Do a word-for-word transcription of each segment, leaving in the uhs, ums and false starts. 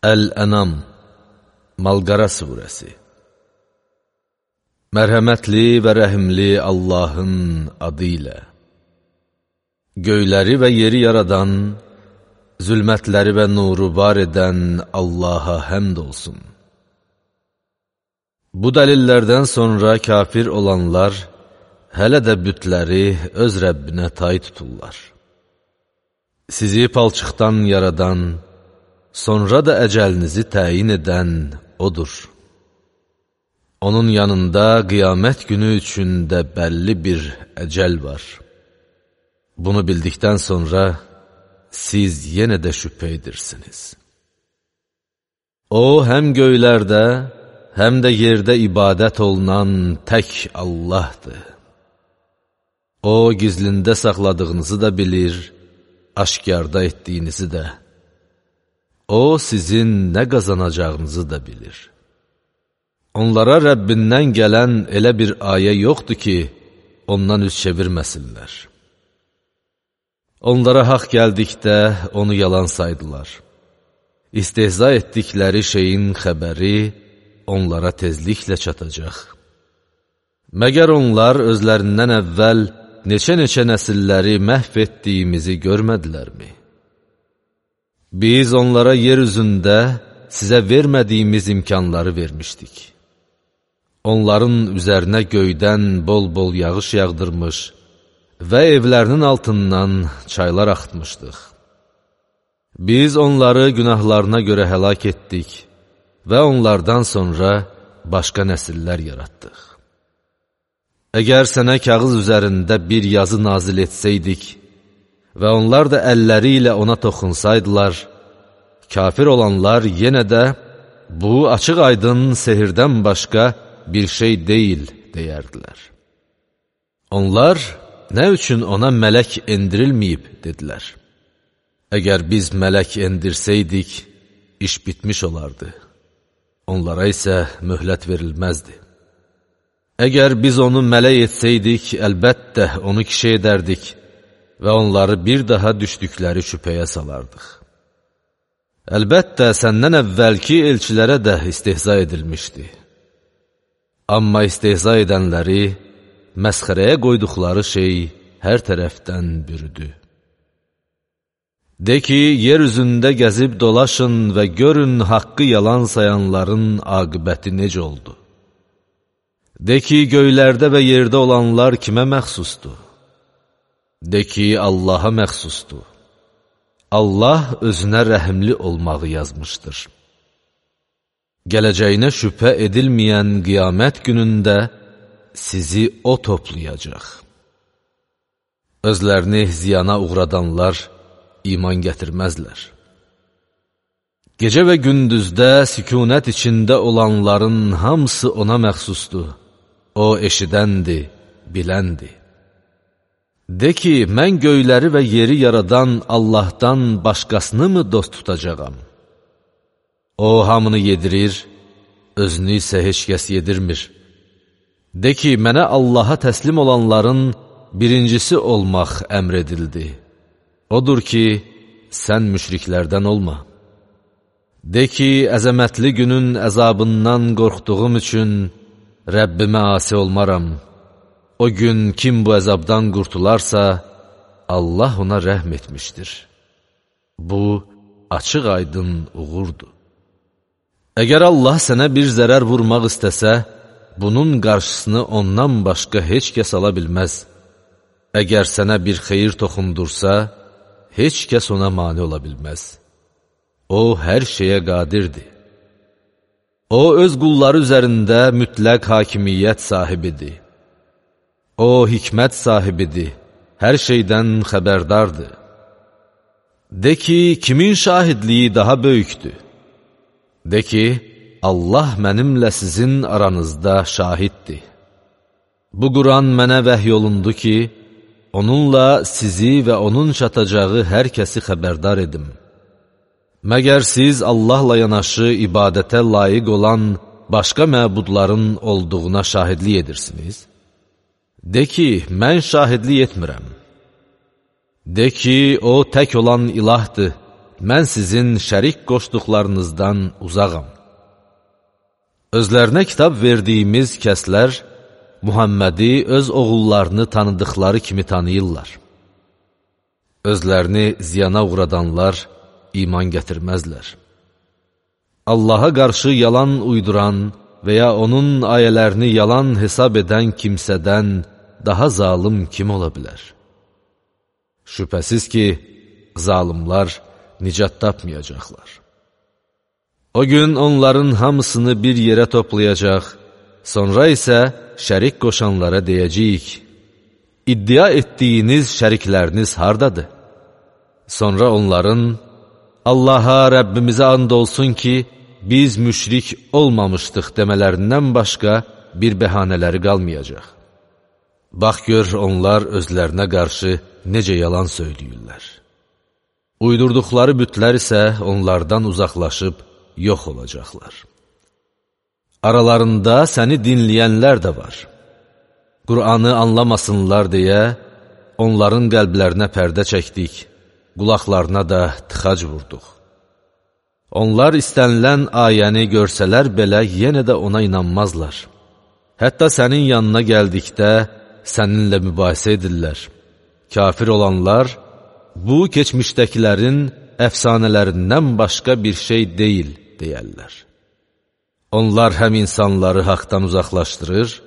Əl-Ənam, Malqara surəsi. Mərhəmətli və rəhimli Allahın adı ilə. Göyləri və yeri yaradan, zülmətləri və nuru var edən Allaha həmd olsun. Bu dəlillərdən sonra kafir olanlar, hələ də bütləri öz Rəbbinə tay tuturlar. Sizi palçıqdan yaradan, sonra da əcəlinizi təyin edən O'dur. Onun yanında qiyamət günü üçün də bəlli bir əcəl var. Bunu bildikdən sonra siz yenə də şübhə edirsiniz. O, həm göylərdə, həm də yerdə ibadət olunan tək Allahdır. O, gizlində saxladığınızı da bilir, aşkarda etdiyinizi də. O, sizin nə qazanacağınızı da bilir. Onlara Rəbbindən gələn elə bir ayə yoxdur ki, ondan üz çevirməsinlər. Onlara haqq gəldikdə onu yalan saydılar. İstehza etdikləri şeyin xəbəri onlara tezliklə çatacaq. Məgər onlar özlərindən əvvəl neçə-neçə nəsilləri məhv etdiyimizi görmədilərmi? Biz onlara yer üzündə sizə vermədiyimiz imkanları vermişdik. Onların üzərinə göydən bol-bol yağış yağdırmış və evlərinin altından çaylar axıtmışdıq. Biz onları günahlarına görə həlak etdik və onlardan sonra başqa nəsillər yaratdıq. Əgər sənə kağız üzərində bir yazı nazil etsəydik və onlar da əlləri ilə ona toxunsaydılar, kafir olanlar yenə də bu açıq aydın sehirdən başqa bir şey deyil, deyərdilər. Onlar, nə üçün ona mələk endirilməyib, dedilər. Əgər biz mələk endirsəydik, iş bitmiş olardı. Onlara isə möhlət verilməzdi. Əgər biz onu mələk etsəydik, əlbəttə onu kişi edərdik və onları bir daha düşdükləri şübhəyə salardıq. Əlbəttə, səndən əvvəlki elçilərə də istehza edilmişdi. Amma istehza edənləri, məsxərəyə qoyduqları şey hər tərəfdən bürüdü. De ki, yer üzündə gəzib dolaşın və görün haqqı yalan sayanların aqibəti necə oldu. De ki, göylərdə və yerdə olanlar kimə məxsusdur? De ki, Allaha məxsusdur. Allah özünə rəhimli olmağı yazmışdır. Gələcəyinə şübhə edilməyən qiyamət günündə sizi O toplayacaq. Özlərini ziyana uğradanlar iman gətirməzlər. Gecə və gündüzdə sükunət içində olanların hamısı ona məxsusdur. O eşidəndir, biləndir. De ki, mən göyləri və yeri yaradan Allahdan başqasını mı dost tutacağam? O, hamını yedirir, özünü isə heç kəs yedirmir. De ki, mənə Allaha təslim olanların birincisi olmaq əmr edildi. Odur ki, sən müşriklərdən olma. De ki, əzəmətli günün əzabından qorxduğum üçün Rəbbimə asi olmaram. O gün kim bu əzabdan qurtularsa, Allah ona rəhm etmişdir. Bu, açıq aydın uğurdur. Əgər Allah sənə bir zərər vurmaq istəsə, bunun qarşısını ondan başqa heç kəs ala bilməz. Əgər sənə bir xeyir toxundursa, heç kəs ona mane ola bilməz. O, hər şeyə qadirdir. O, öz qulları üzərində mütləq hakimiyyət sahibidir. O, hikmət sahibidir, hər şeydən xəbərdardır. De ki, kimin şahidliyi daha böyükdür? De ki, Allah mənimlə sizin aranızda şahiddir. Bu Quran mənə vəhy olundu ki, onunla sizi və onun çatacağı hər kəsi xəbərdar edim. Məgər siz Allahla yanaşı ibadətə layiq olan başqa məbudların olduğuna şahidlik edirsiniz? De ki, mən şahidlik etmirəm. De ki, o tək olan ilahdır, mən sizin şərik qoşduqlarınızdan uzağam. Özlərinə kitab verdiyimiz kəslər Muhammədi öz oğullarını tanıdıqları kimi tanıyırlar. Özlərini ziyana uğradanlar iman gətirməzlər. Allaha qarşı yalan uyduran və ya onun ayələrini yalan hesab edən kimsədən daha zalım kim ola bilər? Şübhəsiz ki, zalimlar nicat tapmayacaqlar. O gün onların hamısını bir yerə toplayacaq, sonra isə şərik qoşanlara deyəcəyik, iddia etdiyiniz şərikləriniz hardadır? Sonra onların, Allaha, Rəbbimizə and olsun ki, biz müşrik olmamışdıq demələrindən başqa bir bəhanələri qalmayacaq. Bax gör, onlar özlərinə qarşı necə yalan söyləyirlər. Uydurduqları bütlər isə onlardan uzaqlaşıb yox olacaqlar. Aralarında səni dinləyənlər də var. Qur'anı anlamasınlar deyə onların qəlblərinə pərdə çəkdik, qulaqlarına da tıxac vurduq. Onlar istənilən ayəni görsələr belə yenə də ona inanmazlar. Hətta sənin yanına gəldikdə səninlə mübahisə edirlər. Kafir olanlar, bu keçmişdəkilərin əfsanələrindən başqa bir şey deyil, deyərlər. Onlar həm insanları haqdan uzaqlaşdırır,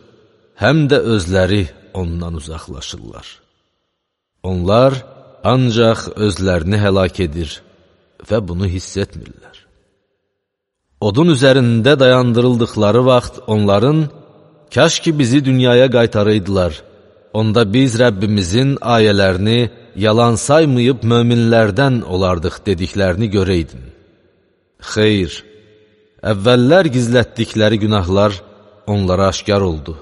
həm də özləri ondan uzaqlaşırlar. Onlar ancaq özlərini həlak edir və bunu hiss etmirlər. Odun üzərində dayandırıldıqları vaxt onların, kaş ki bizi dünyaya qaytarıydılar, onda biz Rəbbimizin ayələrini yalan saymayıb möminlərdən olardıq dediklərini görəydin. Xeyr, əvvəllər gizlətdikləri günahlar onlara aşkar oldu.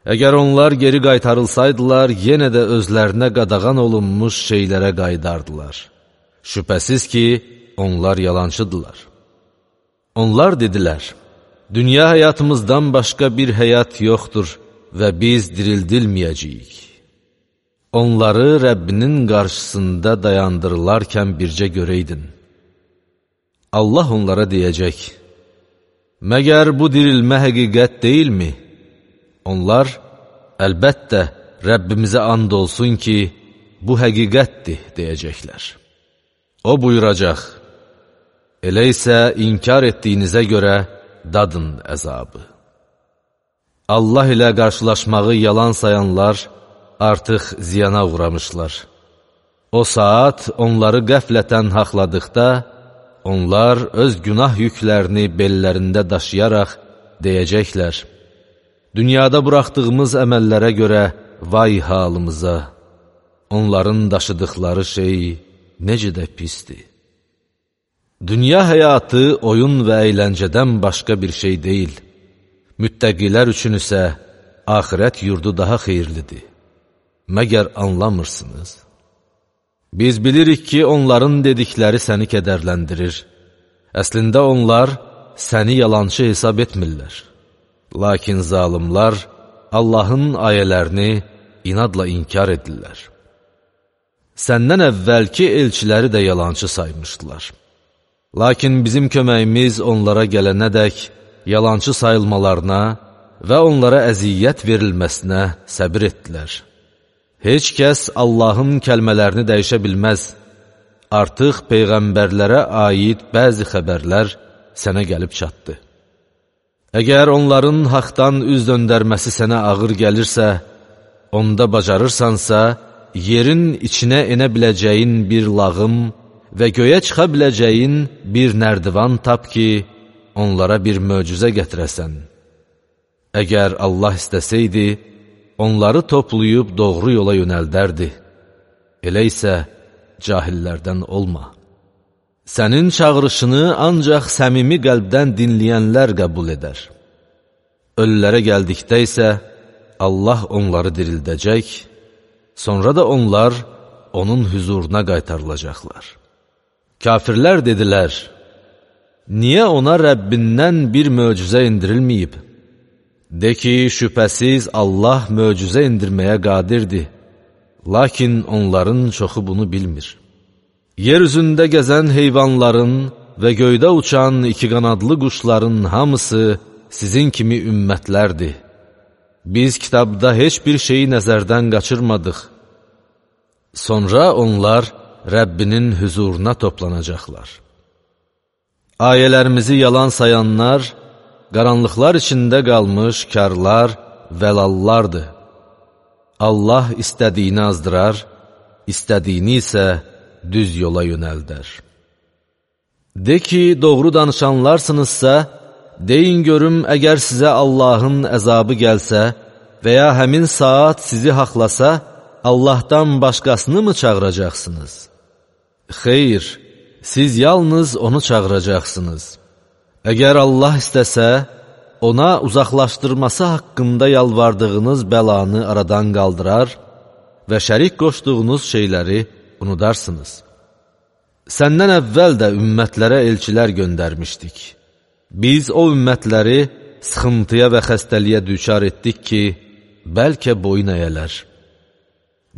Əgər onlar geri qaytarılsaydılar, yenə də özlərinə qadağan olunmuş şeylərə qaydardılar. Şübhəsiz ki, onlar yalancıdırlar. Onlar dedilər, dünya həyatımızdan başqa bir həyat yoxdur və biz dirildilməyəcəyik. Onları Rəbbinin qarşısında dayandırılarkən bircə görəydin. Allah onlara deyəcək, məgər bu dirilmə həqiqət deyilmi? Onlar, əlbəttə, Rəbbimizə and olsun ki, bu həqiqətdir, deyəcəklər. O buyuracaq, elə isə inkar etdiyinizə görə dadın əzabı. Allah ilə qarşılaşmağı yalan sayanlar artıq ziyana uğramışlar. O saat onları qəflətən haqladıqda, onlar öz günah yüklərini bellərində daşıyaraq deyəcəklər, dünyada buraxdığımız əməllərə görə vay halımıza, onların daşıdıqları şey necə də pisdir. Dünya həyatı oyun və əyləncədən başqa bir şey deyil. Müttəqilər üçün isə axirət yurdu daha xeyirlidir. Məgər anlamırsınız? Biz bilirik ki, onların dedikləri səni kədərləndirir. Əslində onlar səni yalançı hesab etmirlər. Lakin zalimlar Allahın ayələrini inadla inkar edirlər. Səndən əvvəlki elçiləri də yalançı saymışdılar. Lakin bizim köməyimiz onlara gələnədək yalançı sayılmalarına və onlara əziyyət verilməsinə səbir etdilər. Heç kəs Allahın kəlmələrini dəyişə bilməz. Artıq peyğəmbərlərə aid bəzi xəbərlər sənə gəlib çatdı. Əgər onların haqdan üz döndərməsi sənə ağır gəlirsə, onda bacarırsansa, yerin içinə enə biləcəyin bir lağım və göyə çıxa biləcəyin bir nərdivan tap ki, onlara bir möcüzə gətirəsən. Əgər Allah istəsəydi, onları toplayıb doğru yola yönəldərdi. Elə isə cahillərdən olma. Sənin çağırışını ancaq səmimi qəlbdən dinləyənlər qəbul edər. Ölülərə gəldikdə isə Allah onları dirildəcək, sonra da onlar onun hüzuruna qaytarılacaqlar. Kafirlər dedilər, niyə ona Rəbbindən bir möcüzə indirilməyib? De ki, şübhəsiz Allah möcüzə indirməyə qadirdir, lakin onların çoxu bunu bilmir. Yer üzündə gəzən heyvanların və göydə uçan iki qanadlı quşların hamısı sizin kimi ümmətlərdir. Biz kitabda heç bir şeyi nəzərdən qaçırmadıq. Sonra onlar Rəbbinin hüzuruna toplanacaqlar. Ayələrimizi yalan sayanlar, qaranlıqlar içində qalmış karlar, vəlallardır. Allah istədiyini azdırar, istədiyini isə düz yola yönəldər. De ki, doğru danışanlarsınızsa, deyin görüm, əgər sizə Allahın əzabı gəlsə və ya həmin saat sizi haqlasa, Allahdan başqasını mı çağıracaqsınız? Xeyr, siz yalnız onu çağıracaqsınız. Əgər Allah istəsə, ona uzaqlaşdırması haqqında yalvardığınız bəlanı aradan qaldırar və şərik qoşduğunuz şeyləri unudarsınız. Səndən əvvəl də ümmətlərə elçilər göndərmişdik. Biz o ümmətləri sıxıntıya və xəstəliyə düçar etdik ki, bəlkə boyun əyələr.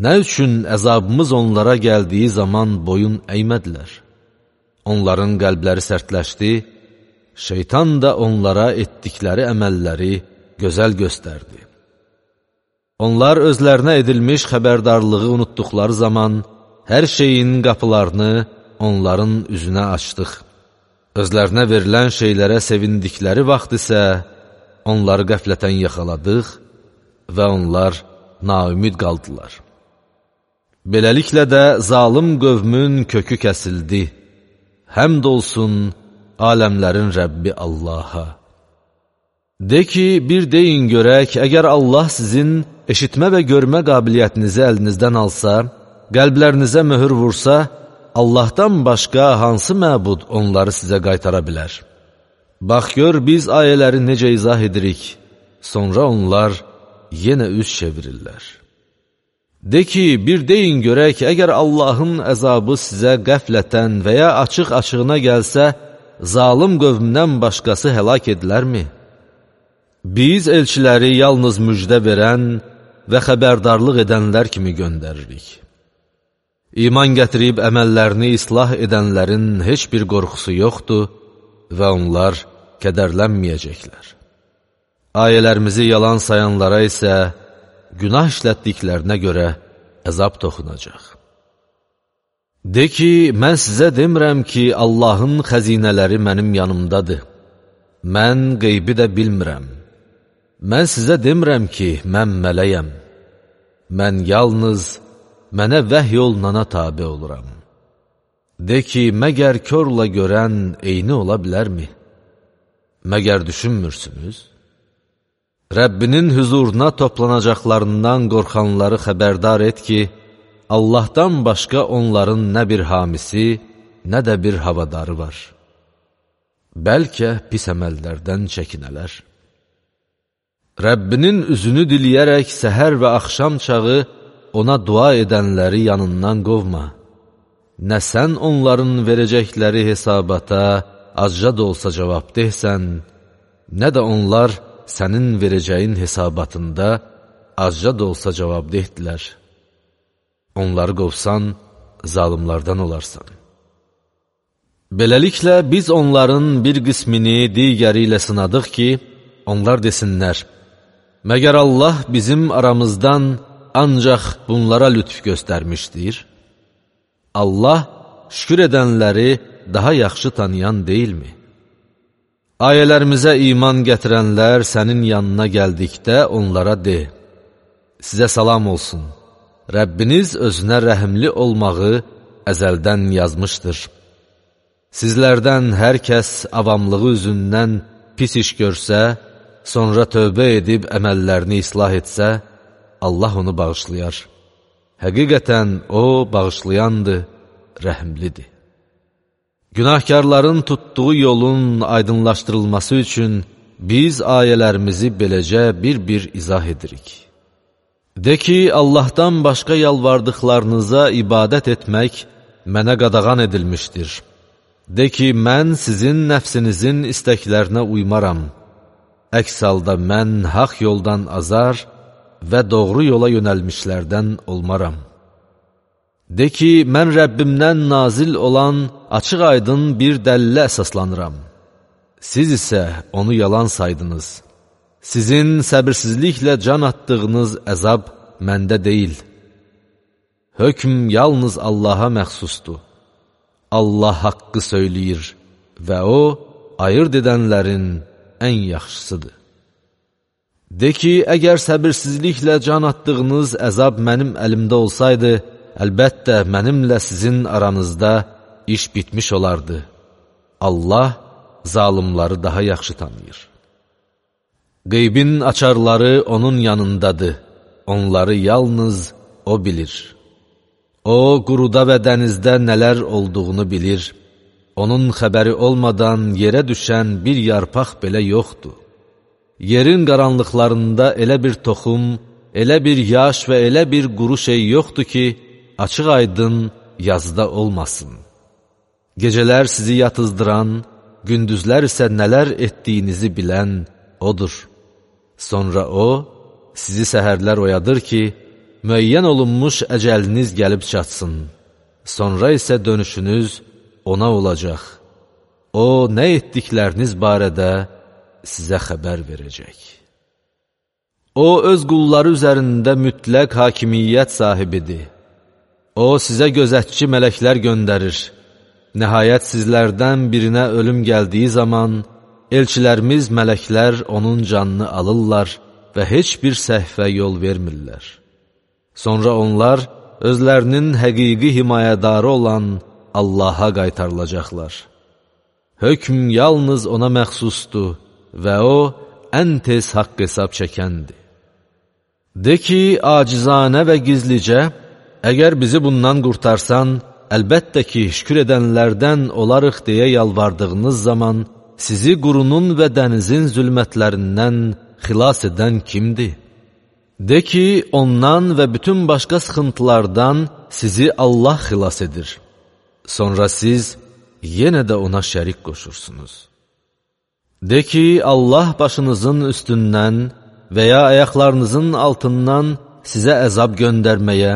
Nə üçün əzabımız onlara gəldiyi zaman boyun əymədilər? Onların qəlbləri sərtləşdi, şeytan da onlara etdikləri əməlləri gözəl göstərdi. Onlar özlərinə edilmiş xəbərdarlığı unutduqları zaman, hər şeyin qapılarını onların üzünə açdıq. Özlərinə verilən şeylərə sevindikləri vaxt isə onları qəflətən yaxaladıq və onlar naümid qaldılar. Beləliklə də zalım qövmün kökü kəsildi. Həmd olsun aləmlərin Rəbbi Allaha. De ki, bir deyin görək, əgər Allah sizin eşitmə və görmə qabiliyyətinizi əlinizdən alsa, qəlblərinizə möhür vursa, Allahdan başqa hansı məbud onları sizə qaytara bilər? Bax gör, biz ayələri necə izah edirik, sonra onlar yenə üz çevirirlər. De ki, bir deyin görək, əgər Allahın əzabı sizə qəflətən və ya açıq-açığına gəlsə, zalım qövmdən başqası həlak edilərmi? Biz elçiləri yalnız müjdə verən və xəbərdarlıq edənlər kimi göndəririk. İman gətirib əməllərini islah edənlərin heç bir qorxusu yoxdur və onlar kədərlənməyəcəklər. Ayələrimizi yalan sayanlara isə günah işlətdiklərinə görə əzab toxunacaq. De ki, mən sizə demirəm ki, Allahın xəzinələri mənim yanımdadır. Mən qeybi də bilmirəm. Mən sizə demirəm ki, mən mələyəm. Mən yalnız mənə vəhy olunana tabi oluram. De ki, məgər körlə görən eyni ola bilərmi? Məgər düşünmürsünüz? Rəbbinin hüzuruna toplanacaqlarından qorxanları xəbərdar et ki, Allahdan başqa onların nə bir hamisi, nə də bir havadarı var. Bəlkə pis əməllərdən çəkinələr. Rəbbinin üzünü diliyərək səhər və axşam çağı ona dua edənləri yanından qovma. Nə sən onların verəcəkləri hesabata azca da olsa cavab deysən, nə də onlar sənin verəcəyin hesabatında azca da olsa cavab dehdilər. Onları qovsan, zalimlardan olarsan. Beləliklə, biz onların bir qismini digəri ilə sınadıq ki, onlar desinlər, məgər Allah bizim aramızdan ancaq bunlara lütf göstərmişdir? Allah şükür edənləri daha yaxşı tanıyan deyilmi? Ayələrimizə iman gətirənlər sənin yanına gəldikdə onlara de, sizə salam olsun, Rəbbiniz özünə rəhimli olmağı əzəldən yazmışdır. Sizlərdən hər kəs avamlığı üzündən pis iş görsə, sonra tövbə edib əməllərini islah etsə, Allah onu bağışlayar. Həqiqətən o bağışlayandır, rəhimlidir. Günahkarların tutduğu yolun aydınlaşdırılması üçün biz ayələrimizi beləcə bir-bir izah edirik. De ki, Allahdan başqa yalvardıqlarınıza ibadət etmək mənə qadağan edilmişdir. De ki, mən sizin nəfsinizin istəklərinə uymaram. Əks halda mən haqq yoldan azar və doğru yola yönəlmişlərdən olmaram. De ki, mən Rəbbimdən nazil olan açıq aydın bir dəlillə əsaslanıram. Siz isə onu yalan saydınız. Sizin səbirsizliklə can atdığınız əzab məndə deyil. Hökm yalnız Allaha məxsusdur. Allah haqqı söyləyir və O, ayırt edənlərin ən yaxşısıdır. De ki, əgər səbirsizliklə can atdığınız əzab mənim əlimdə olsaydı, əlbəttə mənimlə sizin aranızda iş bitmiş olardı. Allah zalımları daha yaxşı tanıyır. Qeybin açarları onun yanındadır. Onları yalnız O bilir. O, quruda və dənizdə nələr olduğunu bilir. Onun xəbəri olmadan yerə düşən bir yarpaq belə yoxdur. Yerin qaranlıqlarında elə bir toxum, elə bir yaş və elə bir quru şey yoxdur ki, açıq aydın yazda olmasın. Gecələr sizi yatızdıran, gündüzlər isə nələr etdiyinizi bilən Odur. Sonra O, sizi səhərlər oyadır ki, müəyyən olunmuş əcəliniz gəlib çatsın. Sonra isə dönüşünüz Ona olacaq. O, nə etdikləriniz barədə sizə xəbər verəcək. O, öz qulları üzərində mütləq hakimiyyət sahibidir. O, sizə gözətçi mələklər göndərir. Nəhayət sizlərdən birinə ölüm gəldiyi zaman, elçilərimiz mələklər onun canını alırlar və heç bir səhvə yol vermirlər. Sonra onlar özlərinin həqiqi himayədarı olan Allaha qaytarılacaqlar. Hökm yalnız Ona məxsusdur və O, ən tez haqq hesab çəkəndir. De ki, acizanə və gizlicə, əgər bizi bundan qurtarsan, əlbəttə ki, şükür edənlərdən olarıq deyə yalvardığınız zaman, sizi qurunun və dənizin zülmətlərindən xilas edən kimdir? De ki, ondan və bütün başqa sıxıntılardan sizi Allah xilas edir. Sonra siz yenə də Ona şərik qoşursunuz. De ki, Allah başınızın üstündən və ya ayaqlarınızın altından sizə əzab göndərməyə,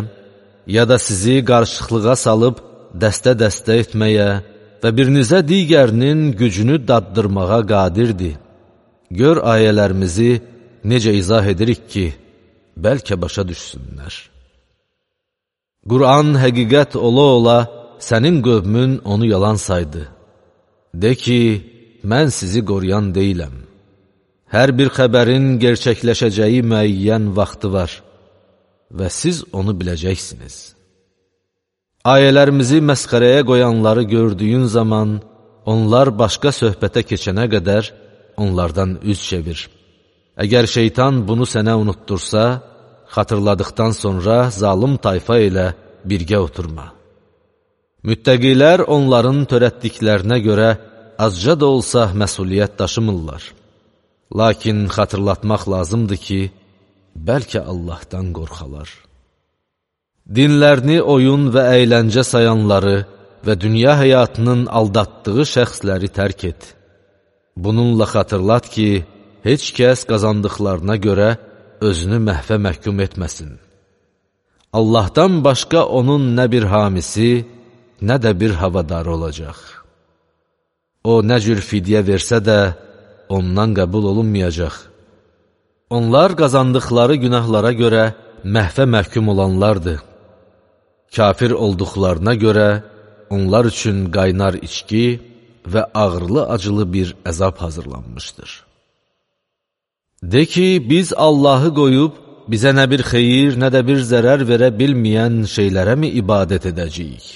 ya da sizi qarışıqlığa salıb dəstə-dəstə etməyə və birinizə digərinin gücünü daddırmağa qadirdir. Gör ayələrimizi necə izah edirik ki, bəlkə başa düşsünlər. Quran həqiqət ola-ola sənin qövmün onu yalan saydı. De ki, mən sizi qoruyan deyiləm. Hər bir xəbərin gerçəkləşəcəyi müəyyən vaxtı var və siz onu biləcəksiniz. Ayələrimizi məsxərəyə qoyanları gördüyün zaman, onlar başqa söhbətə keçənə qədər onlardan üz çevir. Əgər şeytan bunu sənə unuttursa, xatırladıqdan sonra zalım tayfa ilə birgə oturma. Müttəqilər onların törətdiklərinə görə azca da olsa məsuliyyət daşımırlar. Lakin xatırlatmaq lazımdır ki, bəlkə Allahdan qorxalar. Dinlərini oyun və əyləncə sayanları və dünya həyatının aldatdığı şəxsləri tərk et. Bununla xatırlat ki, heç kəs qazandıqlarına görə özünü məhvə məhkum etməsin. Allahdan başqa onun nə bir hamisi, nə də bir havadarı olacaq. O, nə cür fidyə versə də, ondan qəbul olunmayacaq. Onlar qazandıqları günahlara görə məhvə məhkum olanlardır. Kafir olduqlarına görə onlar üçün qaynar içki və ağırlı-acılı bir əzab hazırlanmışdır. De ki, biz Allahı qoyub, bizə nə bir xeyir, nə də bir zərər verə bilməyən şeylərə mi ibadət edəcəyik?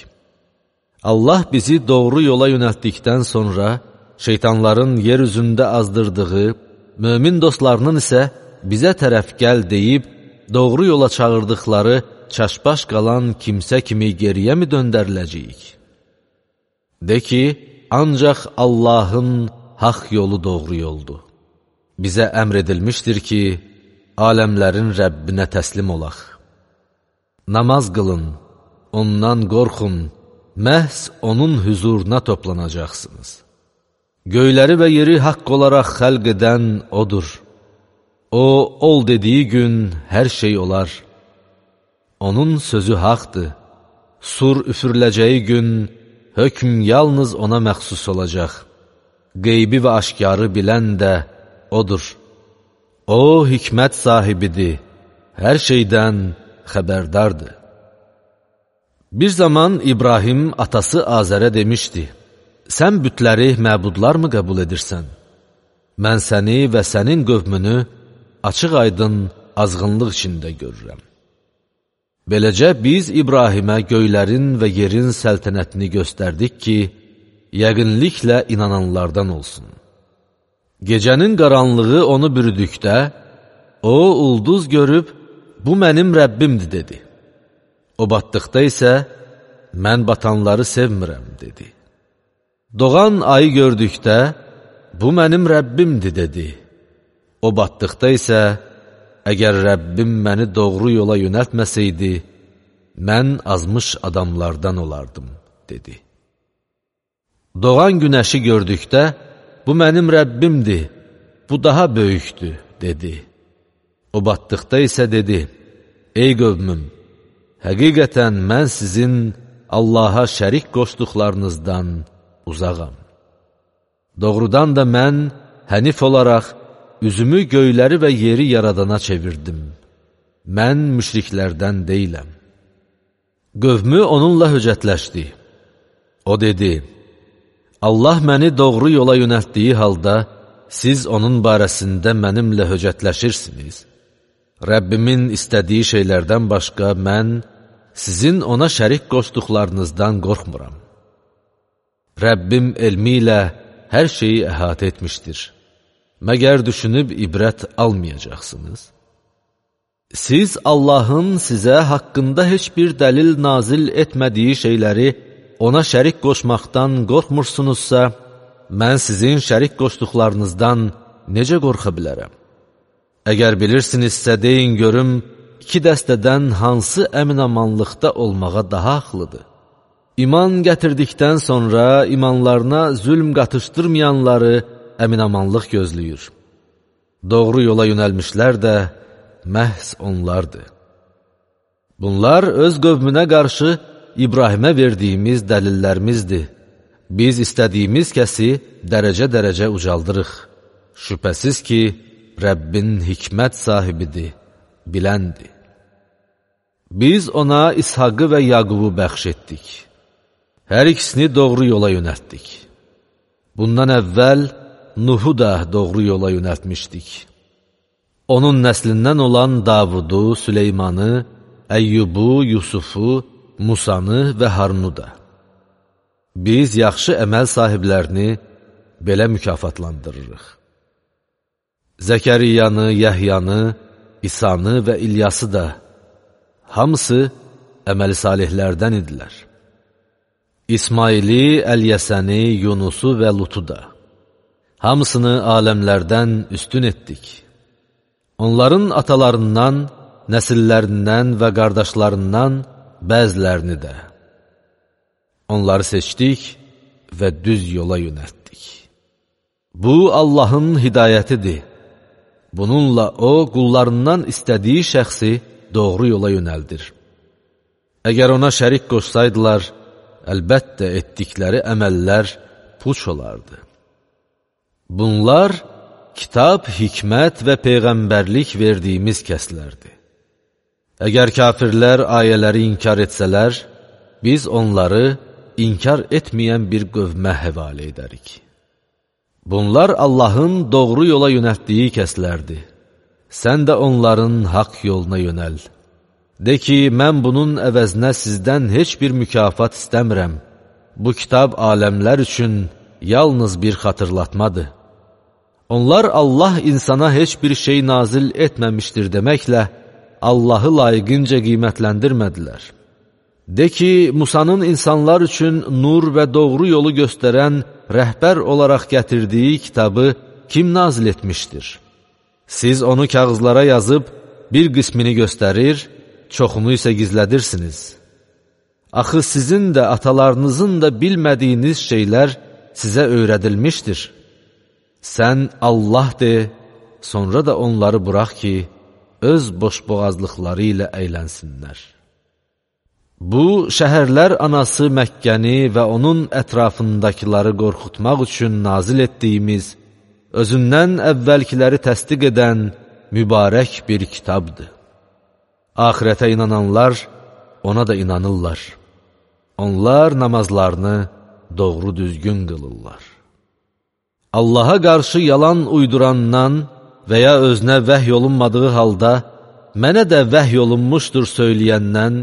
Allah bizi doğru yola yönəltdikdən sonra, şeytanların yer üzündə azdırdığı, mömin dostlarının isə bizə tərəf gəl deyib, doğru yola çağırdıqları çaşbaş qalan kimsə kimi geriyə mi döndəriləcəyik? De ki, ancaq Allahın haqq yolu doğru yoldur. Bizə əmr edilmişdir ki, aləmlərin Rəbbinə təslim olaq. Namaz qılın, ondan qorxun, məhz onun hüzuruna toplanacaqsınız. Göyləri və yeri haqq olaraq xəlq edən Odur. O, ol dediyi gün hər şey olar. Onun sözü haqdır, sur üfürüləcəyi gün hökm yalnız ona məxsus olacaq. Qeybi və aşkarı bilən də odur. O, hikmət sahibidir, hər şeydən xəbərdardır. Bir zaman İbrahim atası Azərə demişdi, sən bütləri məbudlar mı qəbul edirsən? Mən səni və sənin qövmünü açıq aydın azğınlıq içində görürəm. Beləcə biz İbrahimə göylərin və yerin səltənətini göstərdik ki, yəqinliklə inananlardan olsun. Gecənin qaranlığı onu bürüdükdə, o ulduz görüb, bu mənim Rəbbimdir, dedi. O batdıqda isə, mən batanları sevmirəm, dedi. Doğan ayı gördükdə, bu mənim Rəbbimdir, dedi. O batdıqda isə, əgər Rəbbim məni doğru yola yönəltməsəydi, mən azmış adamlardan olardım, dedi. Doğan günəşi gördükdə, bu mənim Rəbbimdir, bu daha böyükdür, dedi. O batdıqda isə dedi, ey qövmüm, həqiqətən mən sizin Allaha şərik qoşduqlarınızdan uzağam. Doğrudan da mən hənif olaraq üzümü göyləri və yeri yaradana çevirdim. Mən müşriklərdən deyiləm. Qövmü onunla höcətləşdi. O dedi, Allah məni doğru yola yönəltdiyi halda, siz onun barəsində mənimlə höcətləşirsiniz. Rəbbimin istədiyi şeylərdən başqa mən sizin ona şərik qoşduqlarınızdan qorxmuram. Rəbbim elmi ilə hər şeyi əhatə etmişdir. Məgər düşünüb ibrət almayacaqsınız? Siz Allahın sizə haqqında heç bir dəlil nazil etmədiyi şeyləri ona şərik qoşmaqdan qorxmursunuzsa, mən sizin şərik qoşduqlarınızdan necə qorxa bilərəm? Əgər bilirsinizsə, deyin görüm, iki dəstədən hansı əminamanlıqda olmağa daha haqlıdır? İman gətirdikdən sonra imanlarına zülm qatışdırmayanları əminamanlıq gözləyir. Doğru yola yönəlmişlər də məhz onlardır. Bunlar öz qövmünə qarşı İbrahimə verdiyimiz dəlillərimizdir. Biz istədiyimiz kəsi dərəcə-dərəcə ucaldırıq. Şübhəsiz ki, Rəbbin hikmət sahibidir, biləndir. Biz ona İshaqı və Yaqubu bəxş etdik. Hər ikisini doğru yola yönəltdik. Bundan əvvəl Nuhu da doğru yola yönəltmişdik. Onun nəslindən olan Davudu, Süleymanı, Əyyubu, Yusufu, Musanı və Harunu da. Biz yaxşı əməl sahiblərini belə mükafatlandırırıq. Zəkəriyanı, Yəhyanı, İsanı və İlyası da, hamısı əməli salihlərdən idilər. İsmaili, Əlyəsəni, Yunusu və Lutu da. Hamısını aləmlərdən üstün etdik. Onların atalarından, nəsillərindən və qardaşlarından bəzilərini də. Onları seçdik və düz yola yönəltdik. Bu, Allahın hidayətidir. Bununla O, qullarından istədiyi şəxsi doğru yola yönəldir. Əgər ona şərik qoşsaydılar, əlbəttə etdikləri əməllər puç olardı. Bunlar, kitab, hikmət və peyğəmbərlik verdiyimiz kəslərdir. Əgər kafirlər ayələri inkar etsələr, biz onları inkar etməyən bir qövmə həvalə edərik. Bunlar Allahın doğru yola yönəltdiyi kəslərdir. Sən də onların haqq yoluna yönəl. De ki, mən bunun əvəzinə sizdən heç bir mükafat istəmirəm. Bu kitab aləmlər üçün yalnız bir xatırlatmadır. Onlar Allah insana heç bir şey nazil etməmişdir deməklə, Allahı layiqincə qiymətləndirmədilər. De ki, Musanın insanlar üçün nur və doğru yolu göstərən rəhbər olaraq gətirdiyi kitabı kim nazil etmişdir? Siz onu kağızlara yazıb, bir qismini göstərir, çoxunu isə gizlədirsiniz. Axı sizin də, atalarınızın da bilmədiyiniz şeylər sizə öyrədilmişdir. Sən Allah de, sonra da onları burax ki, öz boşboğazlıqları ilə əylənsinlər. Bu, şəhərlər anası Məkkəni və onun ətrafındakiləri qorxutmaq üçün nazil etdiyimiz, özündən əvvəlkiləri təsdiq edən mübarək bir kitabdır. Axirətə inananlar ona da inanırlar. Onlar namazlarını doğru düzgün qılırlar. Allaha qarşı yalan uydurandan və ya özünə vəhy olunmadığı halda, mənə də vəhy olunmuşdur söyləyəndən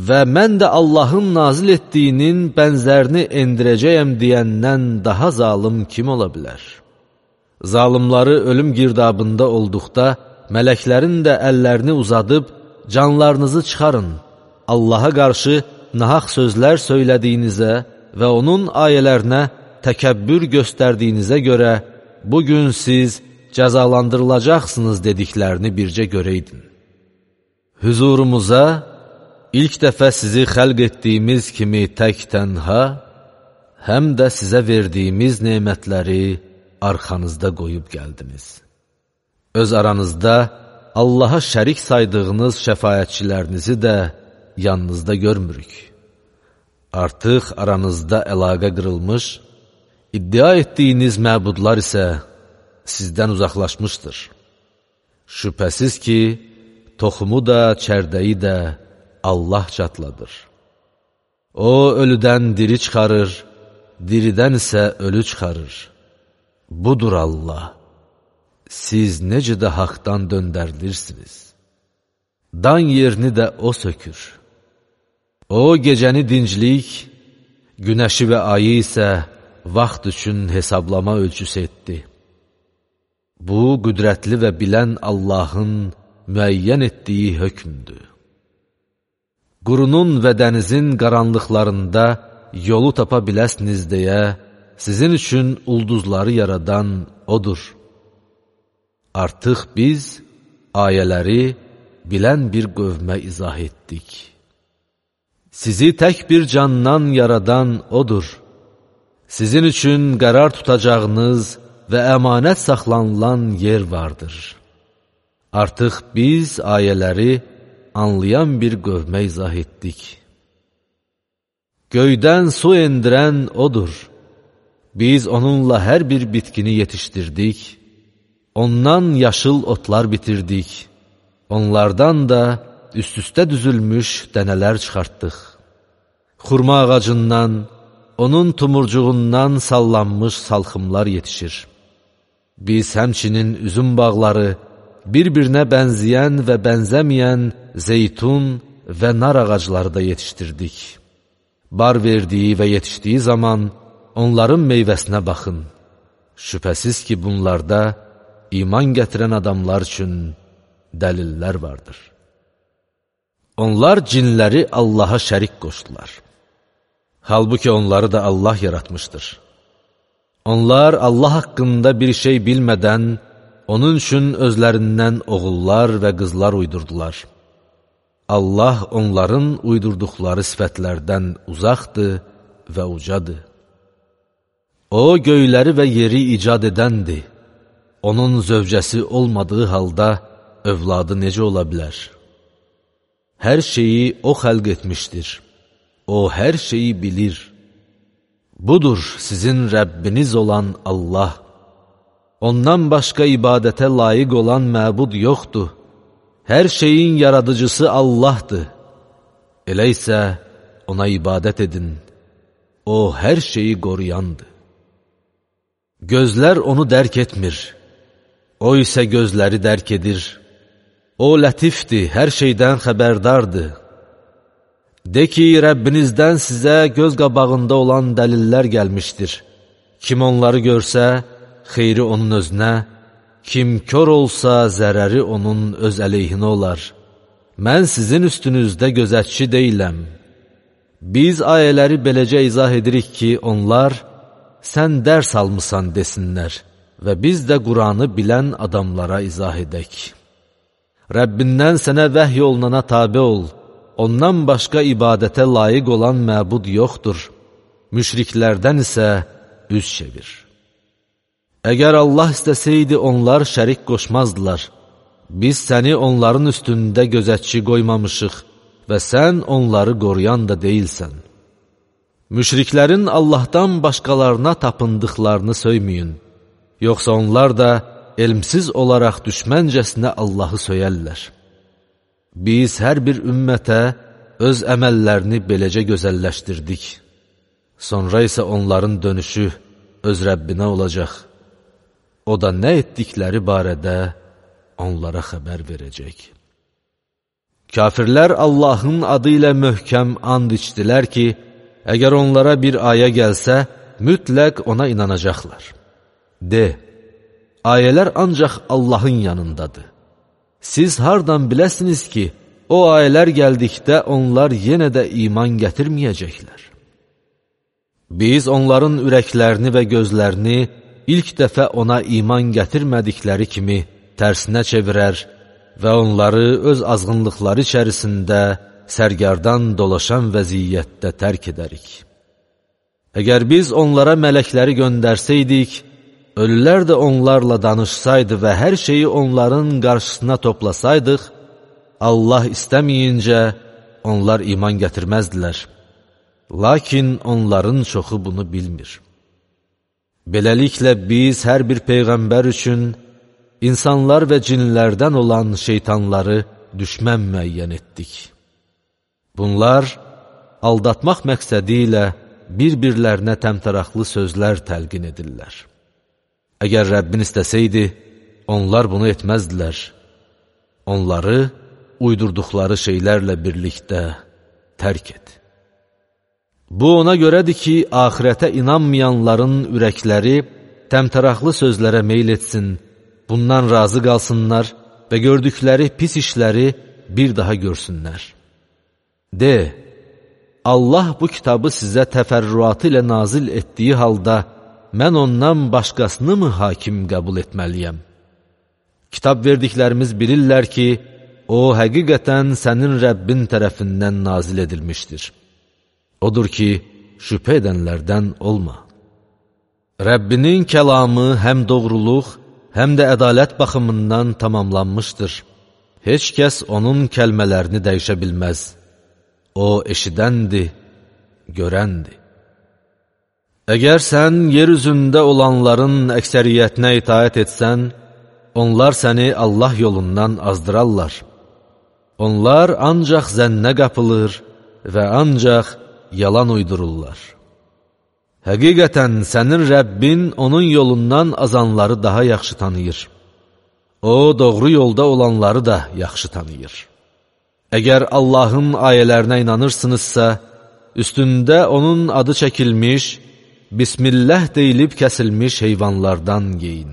və mən də Allahın nazil etdiyinin bənzərini endirəcəyəm deyəndən daha zalım kim ola bilər? Zalimları ölüm girdabında olduqda, mələklərin də əllərini uzadıb, canlarınızı çıxarın, Allaha qarşı nahaq sözlər söylədiyinizə və onun ayələrinə təkəbbür göstərdiyinizə görə, bugün siz cəzalandırılacaqsınız dediklərini bircə görəydin. Hüzurumuza, ilk dəfə sizi xəlq etdiyimiz kimi tək tənha, həm də sizə verdiyimiz nemətləri arxanızda qoyub gəldiniz. Öz aranızda Allaha şərik saydığınız şəfayətçilərinizi də yanınızda görmürük. Artıq aranızda əlaqə qırılmış, iddia etdiyiniz məbudlar isə sizdən uzaqlaşmışdır. Şübhəsiz ki, toxumu da, çərdəyi də Allah çatladır. O, ölüdən diri çıxarır, diridən isə ölü çıxarır. Budur Allah. Siz necə də haqdan döndərilirsiniz. Dan yerini də O sökür. O, gecəni dinclik, günəşi və ayı isə vaxt üçün hesablama ölçüsü etdi. Bu, qüdrətli və bilən Allahın müəyyən etdiyi hökmdür. Qurunun və dənizin qaranlıqlarında yolu tapa biləsiniz deyə, sizin üçün ulduzları yaradan Odur. Artıq biz ayələri bilən bir qövmə izah etdik. Sizi tək bir candan yaradan Odur. Sizin üçün qərar tutacağınız və əmanət saxlanılan yer vardır. Artıq biz ayələri anlayan bir qövmə izah etdik. Göydən su endirən Odur. Biz onunla hər bir bitkini yetişdirdik, ondan yaşıl otlar bitirdik, onlardan da üst-üstə düzülmüş dənələr çıxartdıq. Xurma ağacından, onun tumurcuğundan sallanmış salxımlar yetişir. Biz həmçinin üzüm bağları, bir-birinə bənzəyən və bənzəməyən zeytun və nar ağacları da yetişdirdik. Bar verdiyi və yetişdiyi zaman onların meyvəsinə baxın. Şübhəsiz ki, bunlarda iman gətirən adamlar üçün dəlillər vardır. Onlar cinləri Allaha şərik qoşdular. Halbuki onları da Allah yaratmışdır. Onlar Allah haqqında bir şey bilmədən, onun üçün özlərindən oğullar və qızlar uydurdular. Allah onların uydurduqları sifətlərdən uzaqdır və ucadır. O, göyləri və yeri icad edəndir. Onun zövcəsi olmadığı halda övladı necə ola bilər? Hər şeyi O xəlq etmişdir. O, hər şeyi bilir. Budur sizin Rəbbiniz olan Allah. Ondan başqa ibadətə layiq olan məbud yoxdur. Hər şeyin yaradıcısı Allahdır. Elə isə ona ibadət edin. O, hər şeyi qoruyandır. Gözlər onu dərk etmir. O isə gözləri dərk edir. O, lətifdir, hər şeydən xəbərdardır. De ki, Rəbbinizdən sizə göz qabağında olan dəlillər gəlmişdir. Kim onları görsə, xeyri onun özünə, kim kör olsa, zərəri onun öz əleyhinə olar. Mən sizin üstünüzdə gözətçi deyiləm. Biz ayələri beləcə izah edirik ki, onlar, sən dərs almısan desinlər və biz də Quranı bilən adamlara izah edək. Rəbbindən sənə vəhy olunana tabe ol, ondan başqa ibadətə layiq olan məbud yoxdur, müşriklərdən isə üz çevir. Əgər Allah istəsəydi, onlar şərik qoşmazdılar. Biz səni onların üstündə gözətçi qoymamışıq və sən onları qoruyan da deyilsən. Müşriklərin Allahdan başqalarına tapındıqlarını söyməyin, yoxsa onlar da elmsiz olaraq düşməncəsinə Allahı söyərlər. Biz hər bir ümmətə öz əməllərini beləcə gözəlləşdirdik. Sonra isə onların dönüşü öz Rəbbinə olacaq. O da nə etdikləri barədə onlara xəbər verəcək. Kafirlər Allahın adı ilə möhkəm and içdilər ki, əgər onlara bir ayə gəlsə, mütləq ona inanacaqlar. De, ayələr ancaq Allahın yanındadır. Siz hardan biləsiniz ki, o ayələr gəldikdə onlar yenə də iman gətirməyəcəklər. Biz onların ürəklərini və gözlərini ilk dəfə ona iman gətirmədikləri kimi tərsinə çevirər və onları öz azğınlıqları içərisində sərgardan dolaşan vəziyyətdə tərk edərik. Əgər biz onlara mələkləri göndərsəydik, ölülər də onlarla danışsaydı və hər şeyi onların qarşısına toplasaydıq, Allah istəməyincə onlar iman gətirməzdilər. Lakin onların çoxu bunu bilmir. Beləliklə biz hər bir peyğəmbər üçün insanlar və cinlərdən olan şeytanları düşmən müəyyən etdik. Bunlar aldatmaq məqsədi ilə bir-birlərinə təmtəraqlı sözlər təlqin edirlər. Əgər Rəbbin istəsəydi, onlar bunu etməzdilər. Onları uydurduqları şeylərlə birlikdə tərk et. Bu ona görədir ki, axirətə inanmayanların ürəkləri təmtəraqlı sözlərə meyl etsin, bundan razı qalsınlar və gördükləri pis işləri bir daha görsünlər. De, Allah bu kitabı sizə təfərrüatı ilə nazil etdiyi halda, mən ondan başqasını mı hakim qəbul etməliyəm? Kitab verdiklərimiz bilirlər ki, o həqiqətən sənin Rəbbin tərəfindən nazil edilmişdir. Odur ki, şübhə edənlərdən olma. Rəbbinin kəlamı həm doğruluq, həm də ədalət baxımından tamamlanmışdır. Heç kəs onun kəlmələrini dəyişə bilməz. O eşidəndir, görəndir. Əgər sən yer üzündə olanların əksəriyyətinə itaət etsən, onlar səni Allah yolundan azdırarlar. Onlar ancaq zənnə qapılır və ancaq yalan uydururlar. Həqiqətən sənin Rəbbin onun yolundan azanları daha yaxşı tanıyır. O, doğru yolda olanları da yaxşı tanıyır. Əgər Allahın ayələrinə inanırsınızsa, üstündə onun adı çəkilmiş, Bismillah deyilib kəsilmiş heyvanlardan yeyin.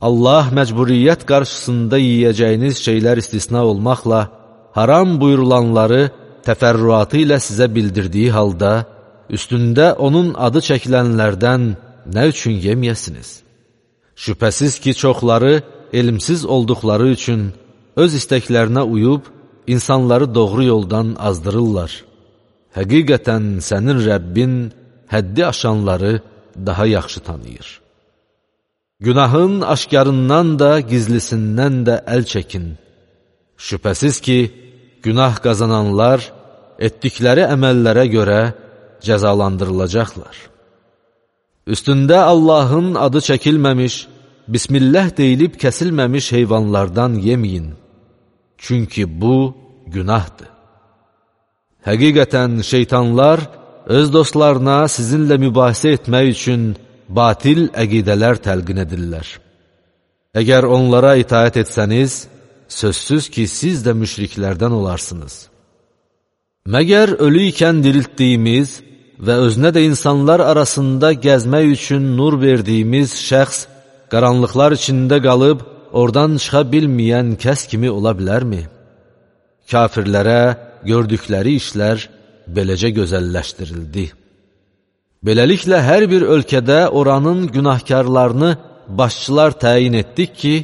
Allah məcburiyyət qarşısında yiyəcəyiniz şeylər istisna olmaqla, haram buyurulanları təfərrüatı ilə sizə bildirdiyi halda, üstündə onun adı çəkilənlərdən nə üçün yeməyəsiniz? Şübhəsiz ki, çoxları elmsiz olduqları üçün öz istəklərinə uyub, insanları doğru yoldan azdırırlar. Həqiqətən sənin Rəbbin həddi aşanları daha yaxşı tanıyır. Günahın aşkarından da, gizlisindən də əl çəkin. Şübhəsiz ki, günah qazananlar etdikləri əməllərə görə cəzalandırılacaqlar. Üstündə Allahın adı çəkilməmiş, Bismillah deyilib kəsilməmiş heyvanlardan yeməyin. Çünki bu günahdır. Həqiqətən şeytanlar öz dostlarına sizinlə mübahisə etmək üçün batil əqidələr təlqin edirlər. Əgər onlara itaət etsəniz, sözsüz ki, siz də müşriklərdən olarsınız. Məgər ölü ikən diriltdiyimiz və özünə də insanlar arasında gəzmək üçün nur verdiyimiz şəxs qaranlıqlar içində qalıb, oradan çıxa bilməyən kəs kimi ola bilərmi? Kafirlərə gördükləri işlər beləcə gözəlləşdirildi. Beləliklə, hər bir ölkədə oranın günahkarlarını başçılar təyin etdik ki,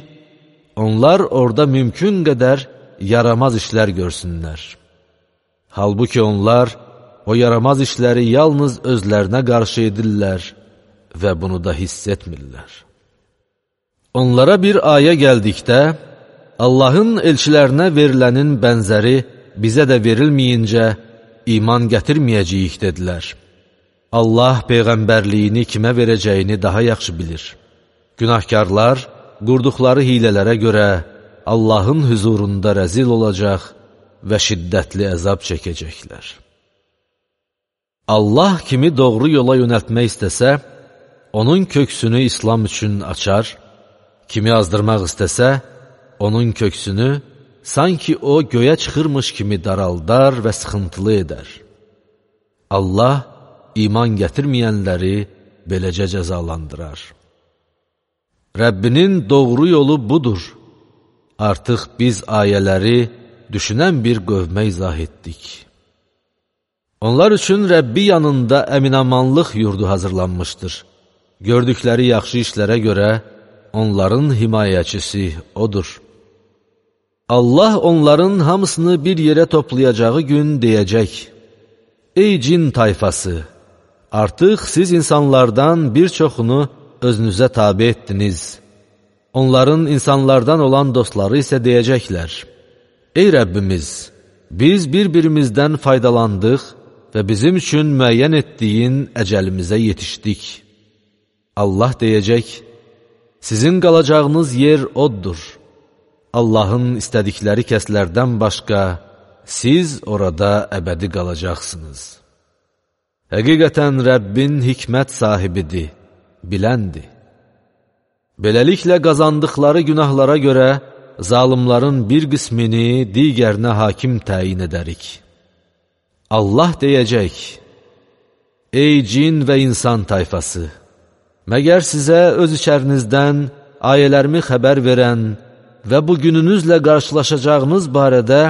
onlar orada mümkün qədər yaramaz işlər görsünlər. Halbuki onlar o yaramaz işləri yalnız özlərinə qarşı edirlər və bunu da hiss etmirlər. Onlara bir ayə gəldikdə, Allahın elçilərinə verilənin bənzəri bizə də verilməyincə iman gətirməyəcəyik dedilər. Allah peyğəmbərliyini kimə verəcəyini daha yaxşı bilir. Günahkarlar qurduqları hilələrə görə Allahın huzurunda rəzil olacaq və şiddətli əzab çəkəcəklər. Allah kimi doğru yola yönəltmək istəsə, onun köksünü İslam üçün açar, kimi azdırmaq istəsə, onun köksünü sanki o göyə çıxırmış kimi daraldar və sıxıntılı edər. Allah iman gətirməyənləri beləcə cəzalandırar. Rəbbinin doğru yolu budur. Artıq biz ayələri düşünən bir qövmə izah etdik. Onlar üçün Rəbbi yanında əminamanlıq yurdu hazırlanmışdır. Gördükləri yaxşı işlərə görə onların himayəçisi odur. Allah onların hamısını bir yerə toplayacağı gün deyəcək: Ey cin tayfası! Artıq siz insanlardan bir çoxunu özünüzə tabi etdiniz. Onların insanlardan olan dostları isə deyəcəklər: Ey Rəbbimiz! Biz bir-birimizdən faydalandıq və bizim üçün müəyyən etdiyin əcəlimizə yetişdik. Allah deyəcək: Sizin qalacağınız yer oddur. Allahın istədikləri kəslərdən başqa siz orada əbədi qalacaqsınız. Həqiqətən Rəbbin hikmət sahibidir, biləndir. Beləliklə qazandıqları günahlara görə zalimların bir qismini digərinə hakim təyin edərik. Allah deyəcək: Ey cin və insan tayfası! Məgər sizə öz içərinizdən ayələrimi xəbər verən və bu gününüzlə qarşılaşacağınız barədə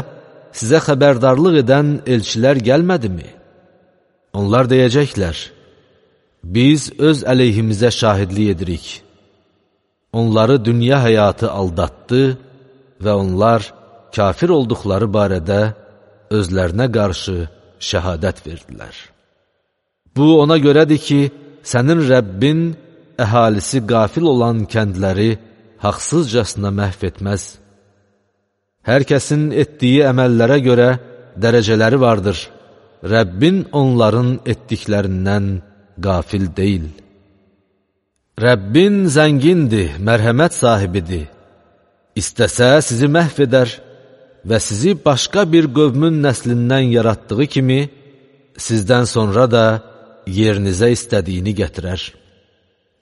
sizə xəbərdarlıq edən elçilər gəlmədimi? Onlar deyəcəklər: Biz öz əleyhimizə şahidlik edirik. Onları dünya həyatı aldatdı və onlar kafir olduqları barədə özlərinə qarşı şəhadət verdilər. Bu ona görədir ki, sənin Rəbbin əhalisi qafil olan kəndləri haqsızcasına məhv etməz. Hər kəsin etdiyi əməllərə görə dərəcələri vardır. Rəbbin onların etdiklərindən qafil deyil. Rəbbin zəngindir, mərhəmət sahibidir. İstəsə sizi məhv edər və sizi başqa bir qövmün nəslindən yaratdığı kimi, sizdən sonra da yerinizə istədiyini gətirər.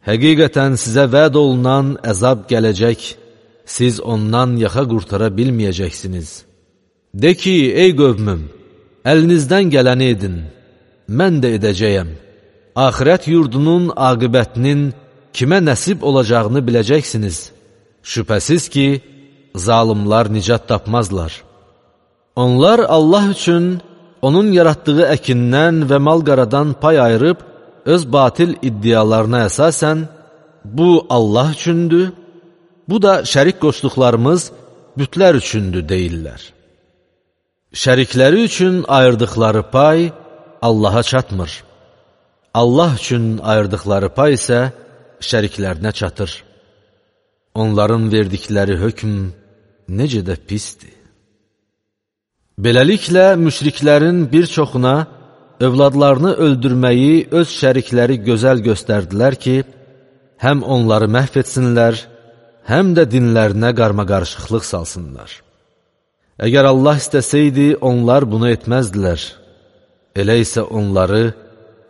Həqiqətən sizə vəd olunan əzab gələcək, siz ondan yaxa qurtara bilməyəcəksiniz. De ki, ey qövmüm, əlinizdən gələni edin, mən də edəcəyəm. Axirət yurdunun aqibətinin kimə nəsib olacağını biləcəksiniz. Şübhəsiz ki, zalimlar nicat tapmazlar. Onlar Allah üçün onun yaratdığı əkindən və mal-qaradan pay ayırıb, öz batil iddialarına əsasən, bu Allah üçündür, bu da şərik qoşduqlarımız bütlər üçündür deyirlər. Şərikləri üçün ayırdıqları pay Allaha çatmır. Allah üçün ayırdıqları pay isə şəriklərinə çatır. Onların verdikləri hökm necə də pisdir. Beləliklə, müşriklərin bir çoxuna övladlarını öldürməyi öz şərikləri gözəl göstərdilər ki, həm onları məhv etsinlər, həm də dinlərinə qarmaqarışıqlıq salsınlar. Əgər Allah istəsəydi, onlar bunu etməzdilər. Elə isə onları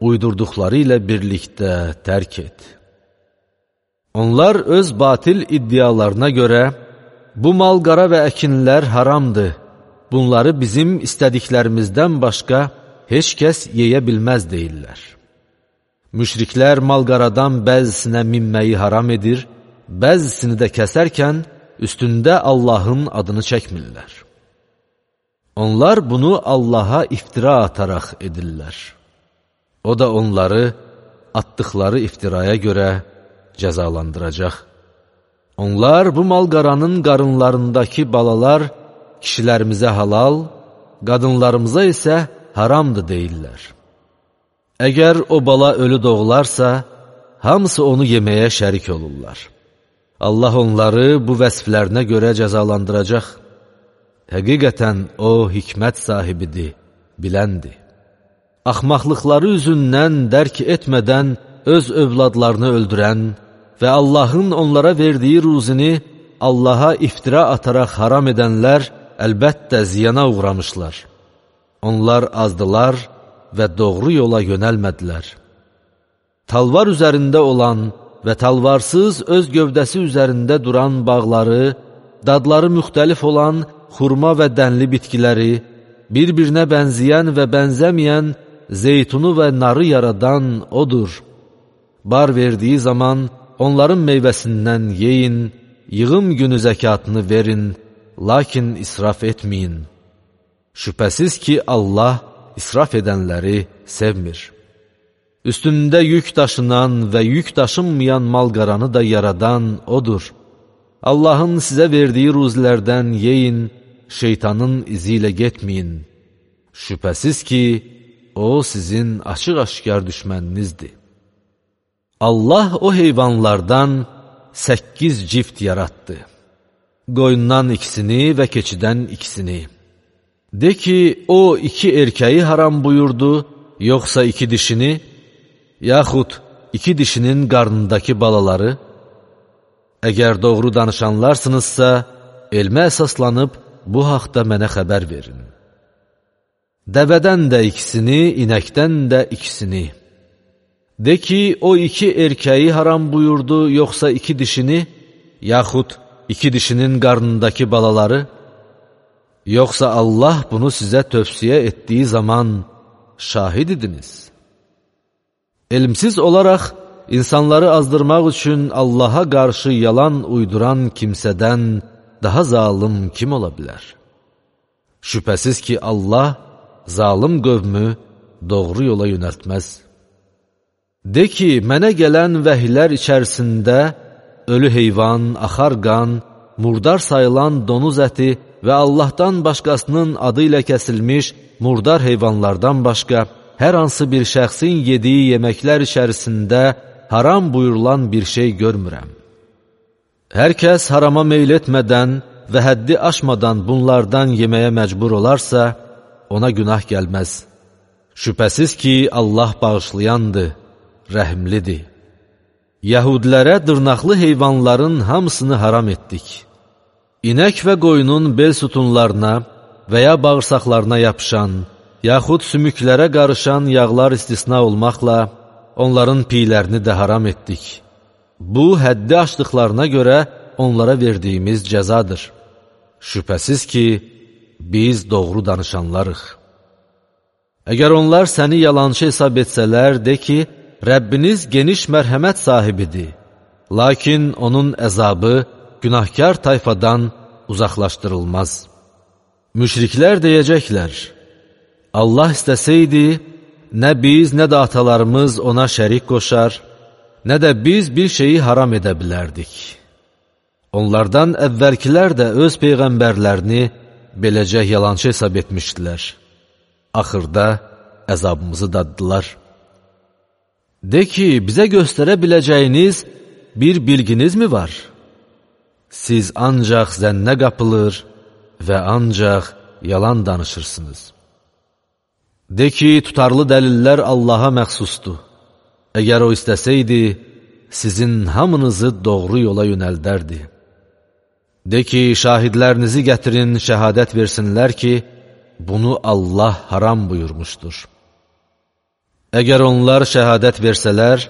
uydurduqları ilə birlikdə tərk et. Onlar öz batil iddialarına görə, bu mal-qara və əkinlər haramdır, bunları bizim istədiklərimizdən başqa heç kəs yeyə bilməz deyirlər. Müşriklər mal-qaradan bəzisinə minməyi haram edir, bəzisini də kəsərkən üstündə Allahın adını çəkmirlər. Onlar bunu Allaha iftira ataraq edirlər. O da onları atdıqları iftiraya görə cəzalandıracaq. Onlar bu mal-qaranın qarınlarındakı balalar kişilərimizə halal, qadınlarımıza isə haramdır deyirlər. Əgər o bala ölü doğularsa, hamısı onu yeməyə şərik olurlar. Allah onları bu vəsflərinə görə cəzalandıracaq. Həqiqətən o hikmət sahibidir, biləndir. Axmaqlıqları üzündən dərk etmədən öz övladlarını öldürən və Allahın onlara verdiyi ruzini Allaha iftira ataraq haram edənlər əlbəttə ziyana uğramışlar. Onlar azdılar və doğru yola yönəlmədilər. Talvar üzərində olan və talvarsız öz gövdəsi üzərində duran bağları, dadları müxtəlif olan xurma və dənli bitkiləri, bir-birinə bənzəyən və bənzəməyən zeytunu və narı yaradan odur. Bar verdiyi zaman onların meyvəsindən yeyin, yığım günü zəkatını verin, lakin israf etməyin. Şübhəsiz ki, Allah israf edənləri sevmir. Üstündə yük daşınan və yük daşınmayan mal-qaranı da yaradan odur. Allahın sizə verdiyi ruzilərdən yeyin, şeytanın izi ilə getməyin. Şübhəsiz ki, o sizin açıq-aşkar düşməninizdir. Allah o heyvanlardan səkkiz cift yaratdı. Qoyundan ikisini və keçidən ikisini. De ki, o iki erkəyi haram buyurdu, yoxsa iki dişini, yaxud iki dişinin qarnındakı balaları? Əgər doğru danışanlarsınızsa, elmə əsaslanıb bu haqda mənə xəbər verin. Dəvədən də ikisini, inəkdən də ikisini. De ki, o iki erkəyi haram buyurdu, yoxsa iki dişini, yaxud iki dişinin qarnındakı balaları? Yoxsa Allah bunu sizə tövsiyə etdiyi zaman şahid idiniz. Elmsiz olaraq, insanları azdırmaq üçün Allaha qarşı yalan uyduran kimsədən daha zalım kim ola bilər? Şübhəsiz ki, Allah zalım qövmü doğru yola yönəltməz. De ki, mənə gələn vəhilər içərisində ölü heyvan, axar qan, murdar sayılan donuz əti və Allahdan başqasının adı ilə kəsilmiş murdar heyvanlardan başqa hər hansı bir şəxsin yediyi yeməklər içərisində haram buyurulan bir şey görmürəm. Hər kəs harama meyl etmədən və həddi aşmadan bunlardan yeməyə məcbur olarsa, ona günah gəlməz. Şübhəsiz ki, Allah bağışlayandır, rəhimlidir. Yəhudilərə dırnaqlı heyvanların hamısını haram etdik. İnək və qoyunun bel sütunlarına və ya bağırsaqlarına yapışan, yaxud sümüklərə qarışan yağlar istisna olmaqla, onların piylərini də haram etdik. Bu, həddi aşdıqlarına görə onlara verdiyimiz cəzadır. Şübhəsiz ki, biz doğru danışanlarıq. Əgər onlar səni yalançı hesab etsələr, de ki, Rəbbiniz geniş mərhəmət sahibidir. Lakin onun əzabı günahkar tayfadan uzaqlaşdırılmaz. Müşriklər deyəcəklər, Allah istəsəydi, nə biz, nə də atalarımız ona şərik qoşar, nə də biz bir şeyi haram edə bilərdik. Onlardan əvvəlkilər də öz peyğəmbərlərini beləcə yalançı hesab etmişdilər. Axırda əzabımızı daddılar. De ki, bizə göstərə biləcəyiniz bir bilginiz mi var? Siz ancaq zənnə qapılır və ancaq yalan danışırsınız. De ki, tutarlı dəlillər Allaha məxsusdur. Əgər o istəsəydi, sizin hamınızı doğru yola yönəldərdi. De ki, şahidlərinizi gətirin, şəhadət versinlər ki, bunu Allah haram buyurmuşdur. Əgər onlar şəhadət versələr,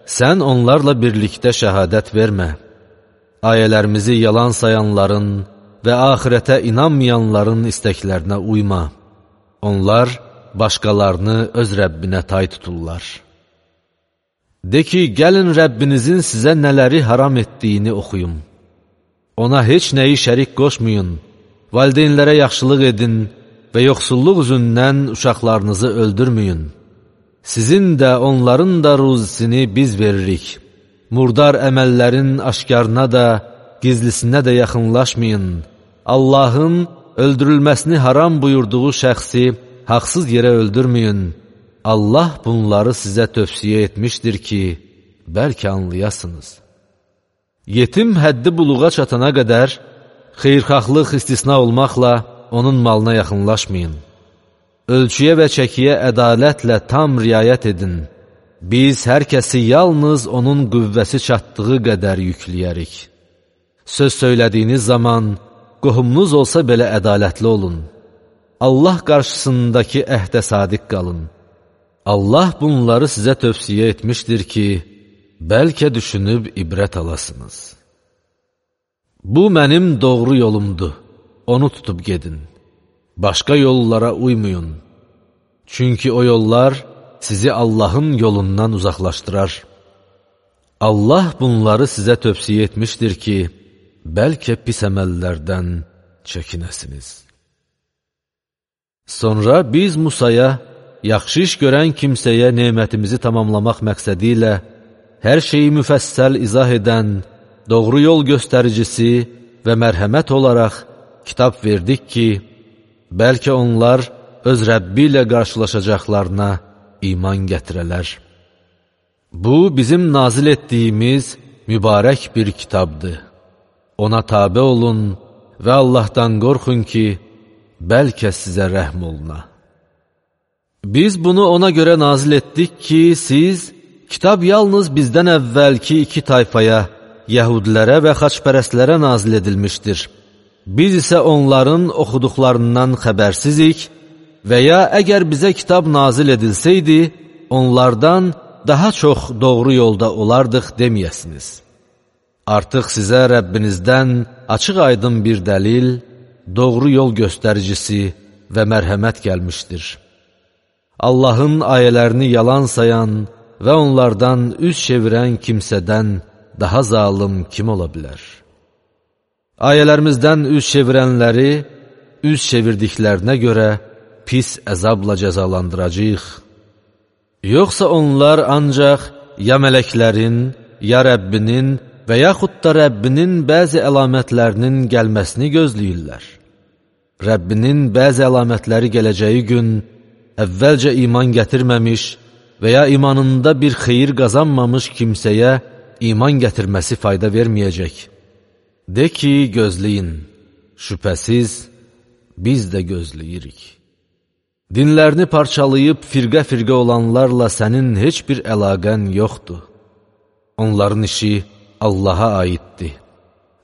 sən onlarla birlikdə şəhadət vermə. Ayələrimizi yalan sayanların və axirətə inanmayanların istəklərinə uyma. Onlar başqalarını öz Rəbbinə tay tuturlar. De ki, gəlin Rəbbinizin sizə nələri haram etdiyini oxuyun. Ona heç nəyi şərik qoşmayın, valideynlərə yaxşılıq edin və yoxsulluq üzündən uşaqlarınızı öldürməyin. Sizin də onların da ruzisini biz veririk. Murdar əməllərin aşkarına da, gizlisinə də yaxınlaşmayın. Allahın öldürülməsini haram buyurduğu şəxsi haqsız yerə öldürməyin. Allah bunları sizə tövsiyə etmişdir ki, bəlkə anlayasınız. Yetim həddi buluğa çatana qədər, xeyrxahlıq istisna olmaqla, onun malına yaxınlaşmayın. Ölçüyə və çəkiyə ədalətlə tam riayət edin. Biz hər kəsi yalnız onun qüvvəsi çatdığı qədər yükləyərik. Söz söylədiyiniz zaman, qohumunuz olsa belə ədalətli olun. Allah qarşısındakı əhdə sadiq qalın. Allah bunları sizə tövsiyə etmişdir ki, bəlkə düşünüb ibrət alasınız. Bu mənim doğru yolumdur, onu tutub gedin. Başqa yollara uymayın. Çünki o yollar sizi Allahın yolundan uzaqlaşdırar. Allah bunları sizə tövsiyə etmişdir ki, bəlkə pis əməllərdən çəkinəsiniz. Sonra biz Musaya, yaxşı iş görən kimsəyə nemətimizi tamamlamaq məqsədi ilə hər şeyi müfəssəl izah edən, doğru yol göstəricisi və mərhəmət olaraq kitab verdik ki, bəlkə onlar öz Rəbbi ilə qarşılaşacaqlarına iman gətirələr. Bu, bizim nazil etdiyimiz mübarək bir kitabdır. Ona tabe olun və Allahdan qorxun ki, bəlkə sizə rəhm oluna. Biz bunu ona görə nazil etdik ki, siz, kitab yalnız bizdən əvvəlki iki tayfaya, Yəhudilərə və xaçpərəstlərə nazil edilmişdir. Biz isə onların oxuduqlarından xəbərsizik və ya əgər bizə kitab nazil edilsəydi, onlardan daha çox doğru yolda olardıq deməyəsiniz. Artıq sizə Rəbbinizdən açıq aydın bir dəlil, doğru yol göstəricisi və mərhəmət gəlmişdir. Allahın ayələrini yalan sayan və onlardan üz çevirən kimsədən daha zalım kim ola bilər? Ayələrimizdən üz çevirənləri, üz çevirdiklərinə görə pis əzabla cəzalandıracaq. Yoxsa onlar ancaq ya mələklərin, ya Rəbbinin və yaxud da Rəbbinin bəzi əlamətlərinin gəlməsini gözləyirlər. Rəbbinin bəzi əlamətləri gələcəyi gün, əvvəlcə iman gətirməmiş və ya imanında bir xeyir qazanmamış kimsəyə iman gətirməsi fayda verməyəcək. De ki, gözləyin, şübhəsiz, biz də gözləyirik. Dinlərini parçalayıb firqə-firqə olanlarla sənin heç bir əlaqən yoxdur. Onların işi Allaha aiddir.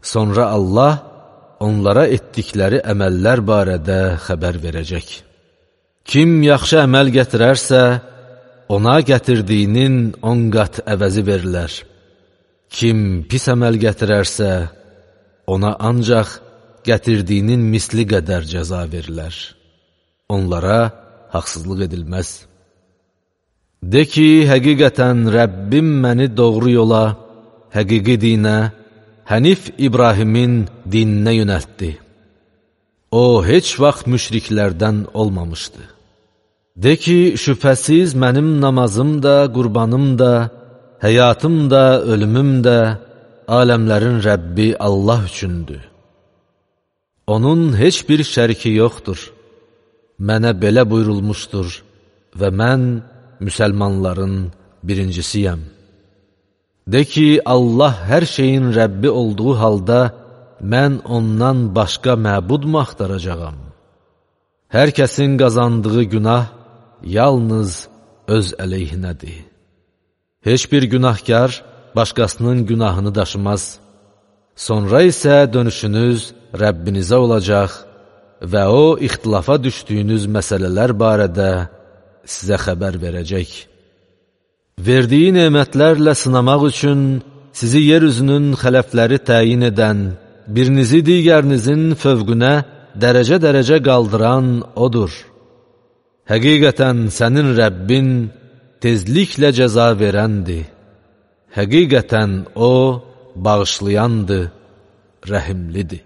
Sonra Allah onlara etdikləri əməllər barədə xəbər verəcək. Kim yaxşı əməl gətirərsə, ona gətirdiyinin on qat əvəzi verilər. Kim pis əməl gətirərsə, ona ancaq gətirdiyinin misli qədər cəza verilər. Onlara haqsızlıq edilməz. De ki, həqiqətən Rəbbim məni doğru yola, həqiqi dinə, Hənif İbrahimin dininə yönəltdi. O, heç vaxt müşriklərdən olmamışdı. De ki, şübhəsiz mənim namazım da, qurbanım da, həyatım da, ölümüm də, aləmlərin Rəbbi Allah üçündür. Onun heç bir şəriki yoxdur. Mənə belə buyurulmuşdur və mən müsəlmanların birincisiyəm. De ki, Allah hər şeyin Rəbbi olduğu halda, mən ondan başqa məbudmu axtaracağam? Hər kəsin qazandığı günah yalnız öz əleyhinədir. Heç bir günahkar başqasının günahını daşımaz. Sonra isə dönüşünüz Rəbbinizə olacaq və o, ixtilafa düşdüyünüz məsələlər barədə sizə xəbər verəcək. Verdiyi nemətlərlə sınamaq üçün sizi yeryüzünün xələfləri təyin edən, birinizi digərinizin fövqünə dərəcə-dərəcə qaldıran odur. Həqiqətən sənin Rəbbin tezliklə cəza verəndir. Həqiqətən o, bağışlayandır, rəhimlidir.